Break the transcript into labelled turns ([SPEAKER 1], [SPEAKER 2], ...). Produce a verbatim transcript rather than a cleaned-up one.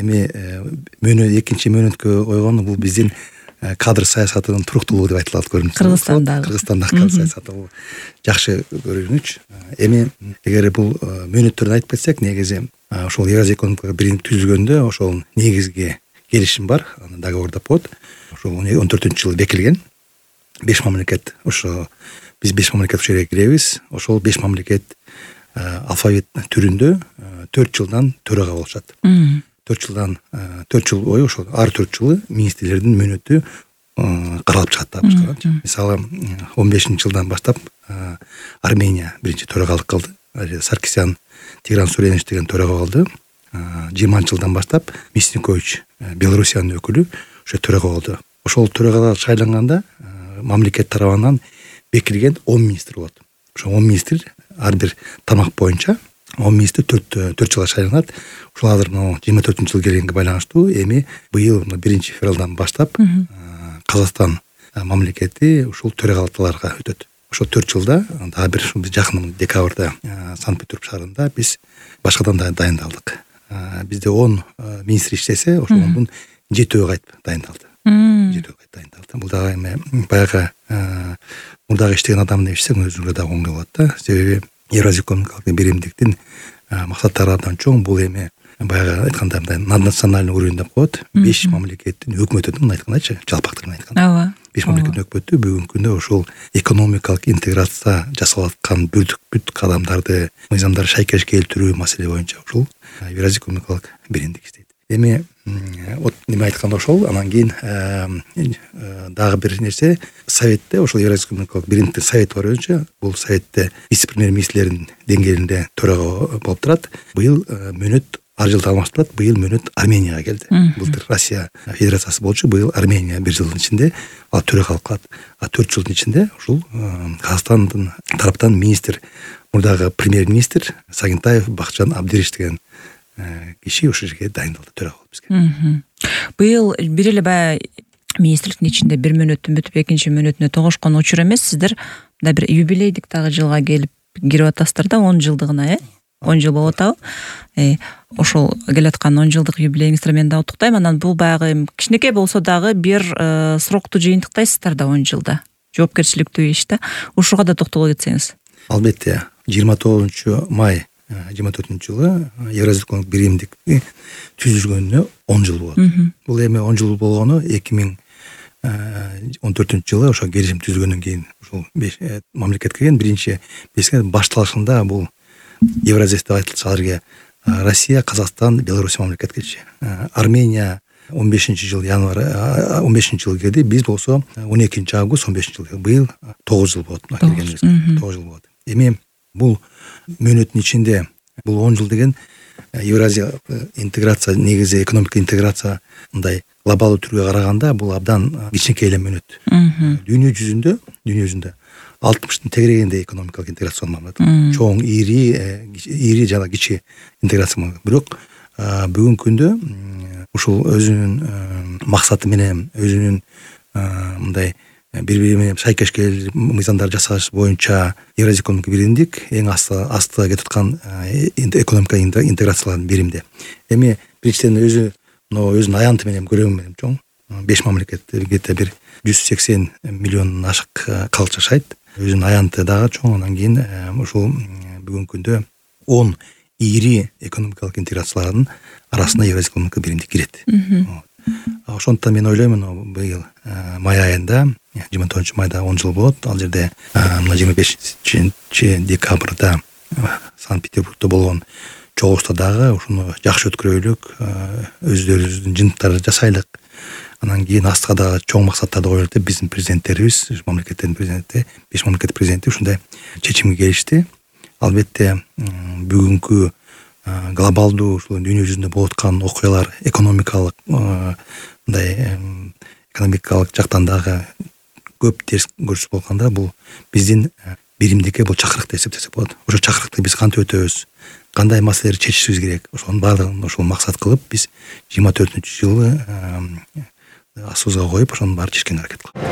[SPEAKER 1] эми мөөнөт экинчи мөөнөткө койгону бул биздин кадр саясатынын туруктуулугу деп айтылат көрүнүп.
[SPEAKER 2] Кыргызстандагы
[SPEAKER 1] Кыргызстандагы кадр саясаты бул жакшы көрүнүч. Эми эгер бул мөөнөттөрдү айтып кетсек, негизи ошол Евразия экономикалык биримдик түзүлгөндө ошол негизги келишим бар, аны договор деп коет. Ошол он төртүнчү жылы бекилген. беш мамлекет, ошо биз беш мамлекет ушул жерге киребиз. Ошол беш мамлекет алфавит түрүндө төрт жылдан төрага болушат. төрт жылдан төрт жыл бою ошол ар төрт жылы министрлердин мөөнөтү каралып чыгат да башкача. Мисалы он бешинчи жылдан баштап Армения биринчи төрагалык кылды. Саркисян Тигран Суренович деген төрага болду. жыйырманчы жылдан баштап Мясникович Белоруссиянын өкүлү ошо төрага болду. Ошол төрагалар шайланганда мамлекет тарабынан бекилген он министр болот. Ошо он министр ар бир тармак боюнча он министр төрт төрт жылга шайланат. Ушул азыр мына жыйырма төртүнчү жыл келгенге байланыштуу эми быйыл биринчи февралдан баштап Казакстан мамлекети ушул төрагалыктарга өтөт. Ошол төрт жылда дагы бир биз жакын декабрда Санкт-Петербург шаарында биз башкадан да дайындалдык. Бизде он министр иштесе, ошонун жетөө кайтып дайындалды. жетөө кайтып дайындалды. Бул дагы эми баягы мурдагы иштеген адам деп ишсек өзүңөр дагы оңой болот да. Себеби Евразия экономикалык биримдиктин максаттары абдан чоң. Бул эми баягы айтканда мындай наднациональный уровень деп коет. беш мамлекеттин өкмөтү мындай айткандачы, жалпактырып айтканда.
[SPEAKER 2] Ооба.
[SPEAKER 1] беш мамлекеттин өкмөтү бүгүнкү күндө ошол экономикалык интеграция жасалып аткан бүт бүт кадамдарды, мыйзамдарды шайкеш келтирүү маселе боюнча ушул Евразия экономикалык биримдик иштейт. Эми вот неме айтканда ошол, анан кийин дагы бир нерсе, Советте ошол Евразия экономикалык биримдиктин совети бар өзүнчө. Бул советте вице-премьер-министрлердин деңгээлинде төрага болуп турат. Быйыл мөөнөт ар жылда алмаштырылат. Быйыл мөөнөт Арменияга келди. Былтыр Россия Федерациясы болчу, быйыл Армения бир жылдын ичинде ал төрагалык кылат. А төрт жылдын ичинде ушул Казакстандын тараптан министр, мурдагы премьер-министр Сагынтаев Бакытжан Абдириш деген киши ушул жерге дайындалды төрага болуп бизге.
[SPEAKER 2] Быйыл бир эле баягы министрликтин ичинде бир мөөнөттүн бүтүп экинчи мөөнөтүнө тогошкон учур эмес, сиздер мындай бир юбилейдик дагы жылга келип кирип атасыздар да, он жылдыгына, э? он жыл болуп атабы? Э, ошол келаткан он жылдык юбилейиңиздер мен дагы уктуктайм. Анан бул баягы кичинекей болсо дагы бир срокту жыйынтыктайсыздар да он жылда. Жоопкерчиликтүү иш да. Ушуга да токтоло кетсеңиз.
[SPEAKER 1] Албетте, жыйырма тогузунчу май жыйырма төртүнчү жылы Евразия экономикалык биримдик түзүлгөнүнө он жыл болот. Бул эми он жыл болгону эки миң он төртүнчү жылы ошо келишим түзүлгөндөн кийин ушул беш мамлекет кирген. Биринчи беске башталышында бул Евразия деп айтылса, аларга Россия, Казакстан, Беларусь мамлекет кирчи. Армения он бешинчи жыл январь он бешинчи жыл келди. Биз болсо он экинчи август он бешинчи жыл. Быйыл тогуз жыл болот киргенибизге. тогуз жыл болот. Эми бул мөөнөттүн ичинде бул он жыл деген Евразия интеграция, негизи экономика интеграция мындай глобалдуу түргө караганда бул абдан кичинекей эле мөөнөт. Дүйнө жүзүндө, дүйнө жүзүндө алтымыштын тегерегинде экономикалык интеграция болмок. Чоң, ири, ири жана кичи интеграция болмок. Бирок бүгүнкү күндө ушул өзүнүн максаты менен, өзүнүн мындай бири-бири менен шайкеш келип мыйзамдар жасаш боюнча Евразия экономикалык биримдик эң асты асты кетип аткан экономика интеграциялардын биримде. Эми биринчиден өзү мына өзүнүн аянты менен көлөмү менен чоң. беш мамлекетте где-то бир жүз сексен миллиондон ашык калк жашайт. Өзүнүн аянты дагы чоң. Андан кийин ушул бүгүнкү күндө он ири экономикалык интеграциялардын арасына Евразия экономикалык биримдик кирет. Ошондуктан мен ойлоймун, быйыл май айында, жыйырма тогузунчу майда он жыл болот. Ал жерде мына жыйырма бешинчи декабрда Санкт-Петербургда болгон чогулушта дагы ушуну жакшы өткөрөлүк, өздөрүбүздүн жыйынтыктарды жасайлык. Анан кийин астыга дагы чоң максаттарды коелук деп биздин президенттерибиз, мамлекеттердин президенти, беш мамлекеттин президенти ушундай чечимге келишти. Албетте бүгүнкү глобалдуу ушул дүйнө жүзүндө болуп аткан окуялар, экономикалык мындай экономикалык жактан дагы көп терс көрсөтүп болгондо бул биздин биримдикке бул чакырык деп эсептесек болот. Ошо чакырыкты биз кантип өтөбүз, кандай маселелерди чечишибиз керек. Ошонун баардыгын ошол максат кылып биз жыйырма төртүнчү жылы асуубузга коюп ошонун баарын чечкенге аракет кылдык.